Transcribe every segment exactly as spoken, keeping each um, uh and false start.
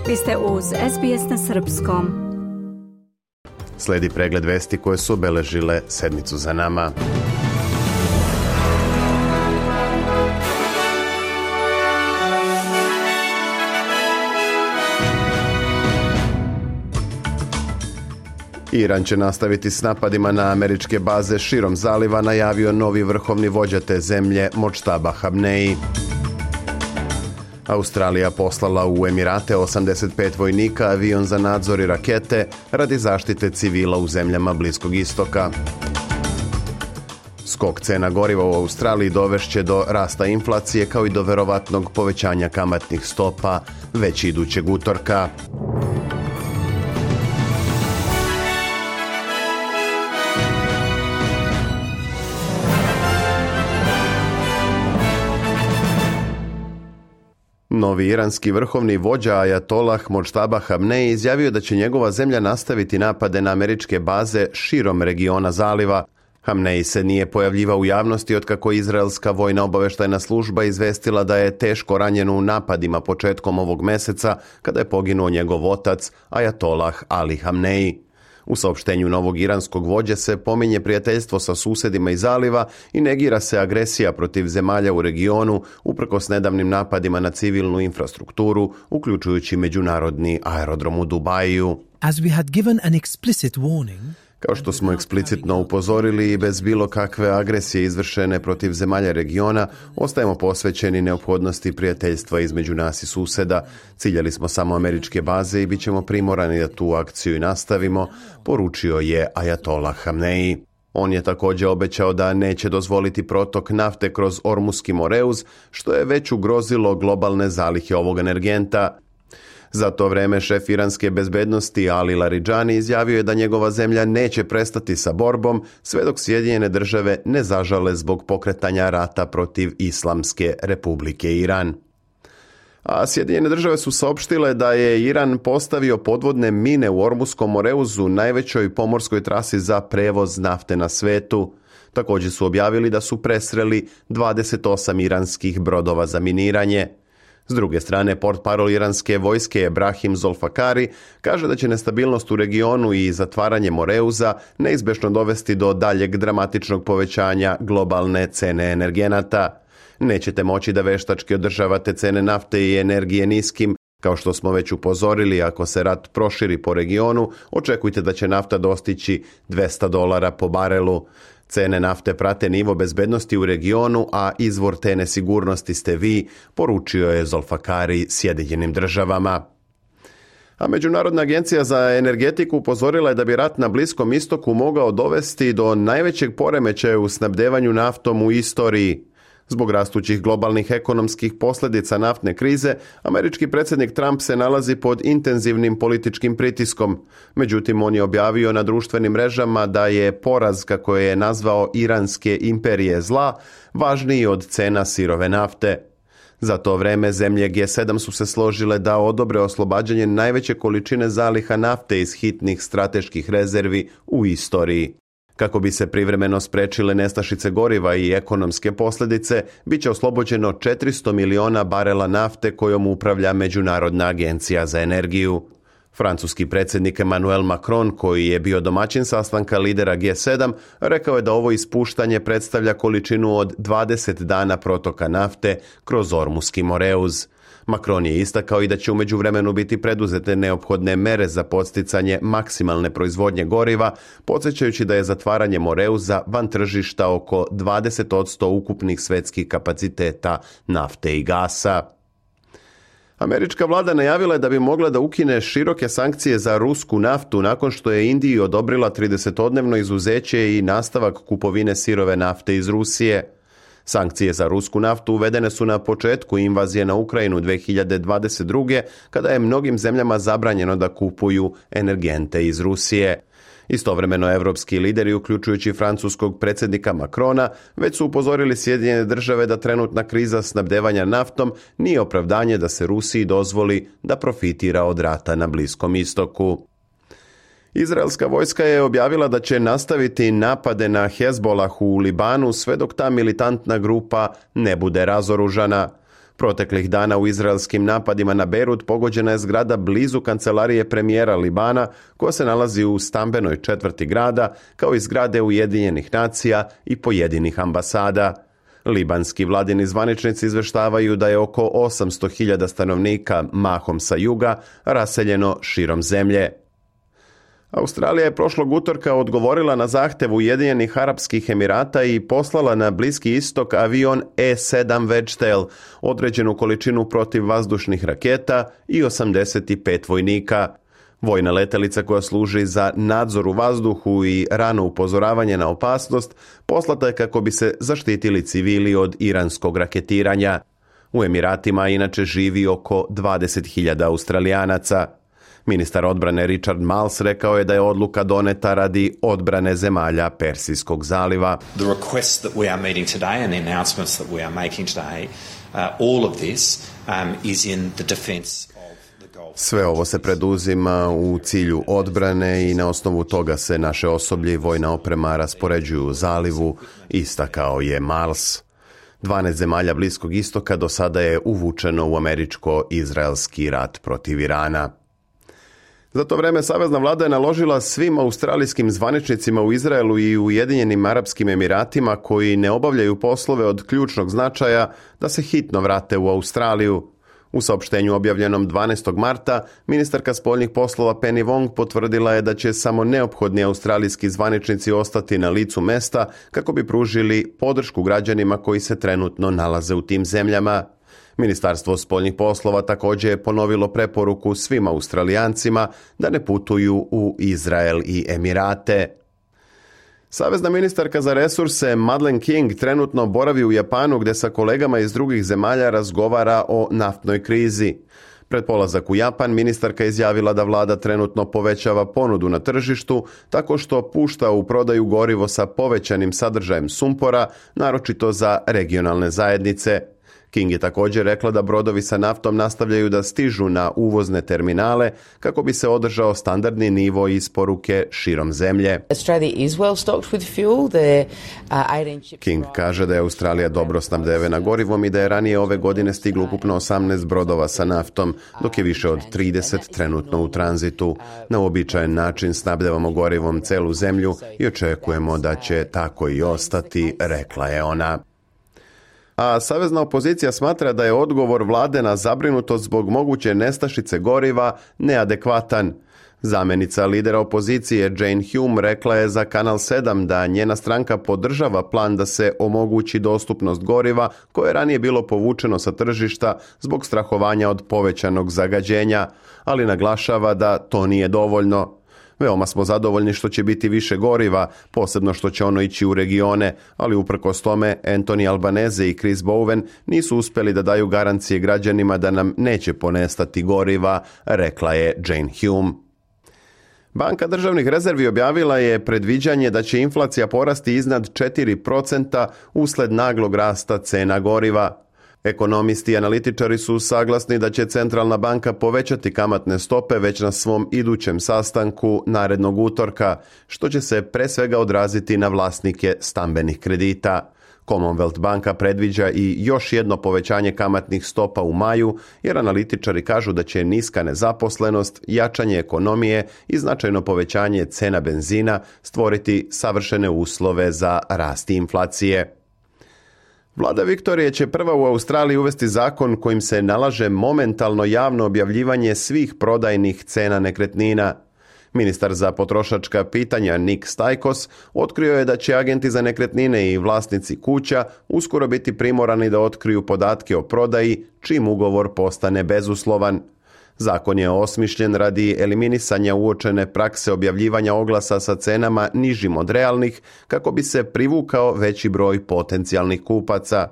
Vi ste uz S B S na srpskom. Slijedi pregled vesti koje su obeležile sedmicu za nama. Iran će nastaviti s napadima na američke baze širom zaliva, najavio novi vrhovni vođa te zemlje Modžtaba Hamneji. Australija poslala u Emirate osamdeset pet vojnika, avion za nadzor i rakete radi zaštite civila u zemljama Bliskog istoka. Skok cena goriva u Australiji dovešće do rasta inflacije kao i do verovatnog povećanja kamatnih stopa već idućeg utorka. Novi iranski vrhovni vođa Ajatolah Modžtaba Hamneji izjavio da će njegova zemlja nastaviti napade na američke baze širom regiona zaliva. Hamneji se nije pojavljivao u javnosti otkako izraelska vojna obavještajna služba izvestila da je teško ranjen u napadima početkom ovog meseca kada je poginuo njegov otac Ajatolah Ali Hamneji. U saopštenju novog iranskog vođe se pominje prijateljstvo sa susedima iz zaliva i negira se agresija protiv zemalja u regionu uprkos nedavnim napadima na civilnu infrastrukturu, uključujući međunarodni aerodrom u Dubaju. As we had given an explicit warning, Kao što smo eksplicitno upozorili i bez bilo kakve agresije izvršene protiv zemalja regiona, ostajemo posvećeni neophodnosti prijateljstva između nas i suseda. Ciljali smo samo američke baze i bit ćemo primorani da tu akciju i nastavimo, poručio je Ajatolah Hamneji. On je također obećao da neće dozvoliti protok nafte kroz Ormuski Moreuz, što je već ugrozilo globalne zalihe ovog energenta. Za to vreme šef iranske bezbednosti Ali Laridžani izjavio je da njegova zemlja neće prestati sa borbom sve dok Sjedinjene države ne zažale zbog pokretanja rata protiv Islamske Republike Iran. A Sjedinjene države su saopštile da je Iran postavio podvodne mine u Ormuskom Moreuzu, najvećoj pomorskoj trasi za prevoz nafte na svetu. Također su objavili da su presreli dvadeset osam iranskih brodova za miniranje. S druge strane, portparol iranske vojske Ebrahim Zolfakari kaže da će nestabilnost u regionu i zatvaranje Moreuza neizbježno dovesti do daljeg dramatičnog povećanja globalne cene energenata. Nećete moći da veštački održavate cene nafte i energije niskim. Kao što smo već upozorili, ako se rat proširi po regionu, očekujte da će nafta dostići dvesta dolara po barelu. Cene nafte prate nivo bezbednosti u regionu, a izvor te nesigurnosti ste vi, poručio je Zolfakari Sjedinjenim državama. A Međunarodna agencija za energetiku upozorila je da bi rat na Bliskom istoku mogao dovesti do najvećeg poremećaja u snabdevanju naftom u istoriji. Zbog rastućih globalnih ekonomskih posljedica naftne krize, američki predsjednik Trump se nalazi pod intenzivnim političkim pritiskom. Međutim, on je objavio na društvenim mrežama da je poraz, kako je nazvao, iranske imperije zla, važniji od cena sirove nafte. Za to vreme zemlje G sedam su se složile da odobre oslobađanje najveće količine zaliha nafte iz hitnih strateških rezervi u istoriji. Kako bi se privremeno sprečile nestašice goriva i ekonomske posljedice, bit će oslobođeno četiristo miliona barela nafte kojom upravlja Međunarodna agencija za energiju. Francuski predsjednik Emmanuel Macron, koji je bio domaćin sastanka lidera G sedam, rekao je da ovo ispuštanje predstavlja količinu od dvadeset dana protoka nafte kroz Ormuski Moreuz. Macron je istakao i da će u međuvremenu biti preduzete neophodne mere za podsticanje maksimalne proizvodnje goriva, podsjećajući da je zatvaranje Moreuza van tržišta oko dvadeset posto ukupnih svetskih kapaciteta nafte i gasa. Američka vlada najavila je da bi mogla da ukine široke sankcije za rusku naftu nakon što je Indiji odobrila tridesetodnevno izuzeće i nastavak kupovine sirove nafte iz Rusije. Sankcije za rusku naftu uvedene su na početku invazije na Ukrajinu dvije hiljade dvadeset druge. kada je mnogim zemljama zabranjeno da kupuju energente iz Rusije. Istovremeno evropski lideri, uključujući francuskog predsjednika Macrona, već su upozorili Sjedinjene države da trenutna kriza snabdevanja naftom nije opravdanje da se Rusiji dozvoli da profitira od rata na Bliskom istoku. Izraelska vojska je objavila da će nastaviti napade na Hezbolah u Libanu sve dok ta militantna grupa ne bude razoružana. Proteklih dana u izraelskim napadima na Bejrut pogođena je zgrada blizu kancelarije premijera Libana, koja se nalazi u stambenoj četvrti grada, kao i zgrade Ujedinjenih nacija i pojedinih ambasada. Libanski vladini zvaničnici izveštavaju da je oko osamsto hiljada stanovnika, mahom sa juga, raseljeno širom zemlje. Australija je prošlog utorka odgovorila na zahtev Ujedinjenih Arapskih Emirata i poslala na Bliski istok avion E sedam Wedgetail, određenu količinu protivvazdušnih raketa i osamdeset pet vojnika. Vojna letelica koja služi za nadzor u vazduhu i rano upozoravanje na opasnost poslata je kako bi se zaštitili civili od iranskog raketiranja. U Emiratima inače živi oko dvadeset hiljada Australijanaca. Ministar odbrane Richard Marles rekao je da je odluka doneta radi odbrane zemalja Persijskog zaliva. The requests that we are meeting today and the announcements that we are making today, uh, all of this um, is in the defense. Sve ovo se preduzima u cilju odbrane i na osnovu toga se naše osoblje i vojna oprema raspoređuju u zalivu, istakao je Marles. dvanaest zemalja Bliskog istoka do sada je uvučeno u američko-izraelski rat protiv Irana. Za to vreme savezna vlada je naložila svim australijskim zvaničnicima u Izraelu i Ujedinjenim Arapskim Emiratima koji ne obavljaju poslove od ključnog značaja da se hitno vrate u Australiju. U saopštenju objavljenom dvanaestog marta, ministarka spoljnih poslova Penny Wong potvrdila je da će samo neophodni australijski zvaničnici ostati na licu mesta kako bi pružili podršku građanima koji se trenutno nalaze u tim zemljama. Ministarstvo spoljnih poslova također je ponovilo preporuku svim Australijancima da ne putuju u Izrael i Emirate. Savezna ministarka za resurse Madeleine King trenutno boravi u Japanu gdje sa kolegama iz drugih zemalja razgovara o naftnoj krizi. Pred polazak u Japan ministarka izjavila da vlada trenutno povećava ponudu na tržištu tako što pušta u prodaju gorivo sa povećanim sadržajem sumpora, naročito za regionalne zajednice. King je također rekla da brodovi sa naftom nastavljaju da stižu na uvozne terminale kako bi se održao standardni nivo isporuke širom zemlje. King kaže da je Australija dobro snabdevena gorivom i da je ranije ove godine stiglo ukupno osamnaest brodova sa naftom, dok je više od trideset trenutno u tranzitu. Na uobičajen način snabdevamo gorivom celu zemlju i očekujemo da će tako i ostati, rekla je ona. A savezna opozicija smatra da je odgovor vlade na zabrinutost zbog moguće nestašice goriva neadekvatan. Zamjenica lidera opozicije Jane Hume rekla je za Kanal sedam da njena stranka podržava plan da se omogući dostupnost goriva koje je ranije bilo povučeno sa tržišta zbog strahovanja od povećanog zagađenja, ali naglašava da to nije dovoljno. Veoma smo zadovoljni što će biti više goriva, posebno što će ono ići u regione, ali uprkos tome Anthony Albanese i Chris Bowen nisu uspjeli da daju garancije građanima da nam neće ponestati goriva, rekla je Jane Hume. Banka državnih rezervi objavila je predviđanje da će inflacija porasti iznad četiri procenta usled naglog rasta cena goriva. Ekonomisti i analitičari su saglasni da će centralna banka povećati kamatne stope već na svom idućem sastanku narednog utorka, što će se pre svega odraziti na vlasnike stambenih kredita. Commonwealth banka predviđa i još jedno povećanje kamatnih stopa u maju, jer analitičari kažu da će niska nezaposlenost, jačanje ekonomije i značajno povećanje cena benzina stvoriti savršene uslove za rast inflacije. Vlada Viktorije će prva u Australiji uvesti zakon kojim se nalaže momentalno javno objavljivanje svih prodajnih cena nekretnina. Ministar za potrošačka pitanja Nick Stajkos otkrio je da će agenti za nekretnine i vlasnici kuća uskoro biti primorani da otkriju podatke o prodaji čim ugovor postane bezuslovan. Zakon je osmišljen radi eliminisanja uočene prakse objavljivanja oglasa sa cenama nižim od realnih kako bi se privukao veći broj potencijalnih kupaca.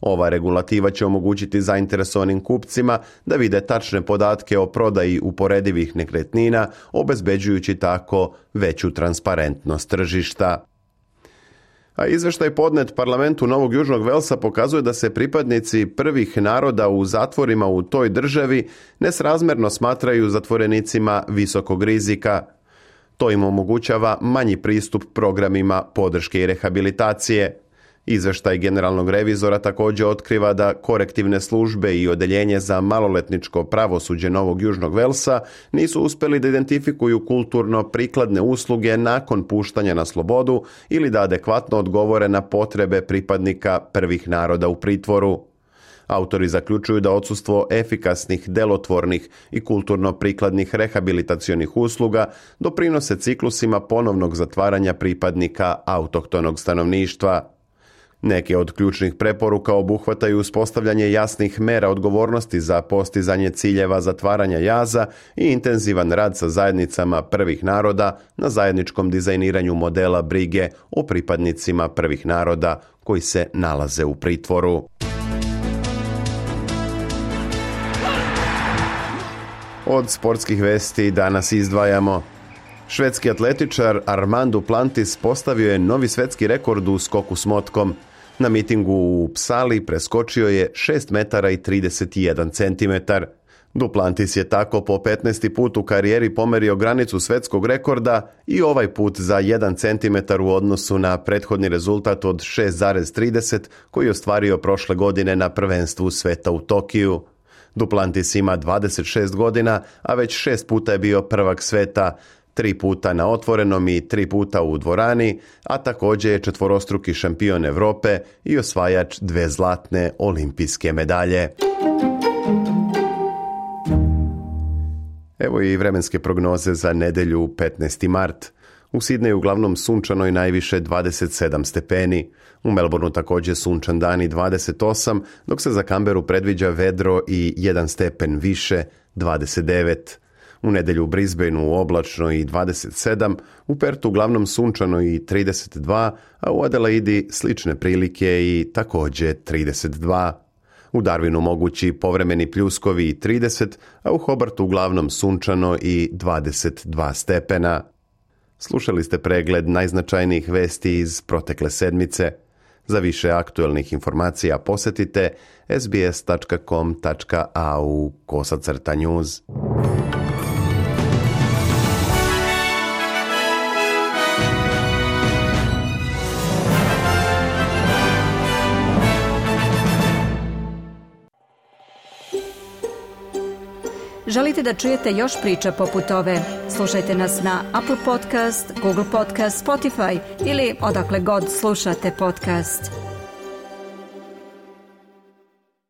Ova regulativa će omogućiti zainteresovanim kupcima da vide tačne podatke o prodaji uporedivih nekretnina, obezbeđujući tako veću transparentnost tržišta. A izveštaj podnet parlamentu Novog Južnog Velsa pokazuje da se pripadnici prvih naroda u zatvorima u toj državi nesrazmjerno smatraju zatvorenicima visokog rizika. To im omogućava manji pristup programima podrške i rehabilitacije. Izveštaj generalnog revizora također otkriva da korektivne službe i odeljenje za maloletničko pravosuđe Novog Južnog Velsa nisu uspjeli da identifikuju kulturno prikladne usluge nakon puštanja na slobodu ili da adekvatno odgovore na potrebe pripadnika prvih naroda u pritvoru. Autori zaključuju da odsustvo efikasnih, delotvornih i kulturno prikladnih rehabilitacionih usluga doprinose ciklusima ponovnog zatvaranja pripadnika autohtonog stanovništva. Neke od ključnih preporuka obuhvataju uspostavljanje jasnih mera odgovornosti za postizanje ciljeva zatvaranja jaza i intenzivan rad sa zajednicama prvih naroda na zajedničkom dizajniranju modela brige o pripadnicima prvih naroda koji se nalaze u pritvoru. Od sportskih vesti danas izdvajamo: švedski atletičar Armand Duplantis postavio je novi svetski rekord u skoku s motkom. Na mitingu u Psali preskočio je šest metara i trideset jedan centimetar. Duplantis je tako po petnaesti put u karijeri pomerio granicu svetskog rekorda i ovaj put za jedan centimetar u odnosu na prethodni rezultat od šest zarez trideset koji je ostvario prošle godine na prvenstvu sveta u Tokiju. Duplantis ima dvadeset šest godina, a već šest puta je bio prvak sveta, tri puta na otvorenom i tri puta u dvorani, a također je četvorostruki šampion Europe i osvajač dve zlatne olimpijske medalje. Evo i vremenske prognoze za nedjelju petnaesti mart. U Sidneju uglavnom sunčano i najviše dvadeset sedam stepeni. U Melbourneu također sunčan dan i dvadeset osam, dok se za Canberru predviđa vedro i jedan stepen više, dvadeset devet. U nedjelju u Brisbaneu oblačno i dvadeset sedam, u Pertu uglavnom sunčano i trideset dva, a u Adelaidi slične prilike i također trideset dva. U Darwinu mogući povremeni pljuskovi i trideset, a u Hobartu uglavnom sunčano i dvadeset dva stepena. Slušali ste pregled najznačajnijih vesti iz protekle sedmice. Za više aktualnih informacija posjetite sbs tačka com tačka a u kosacrta news. Želite da čujete još priča poput ove? Slušajte nas na Apple Podcast, Google Podcast, Spotify ili odakle god slušate podcast.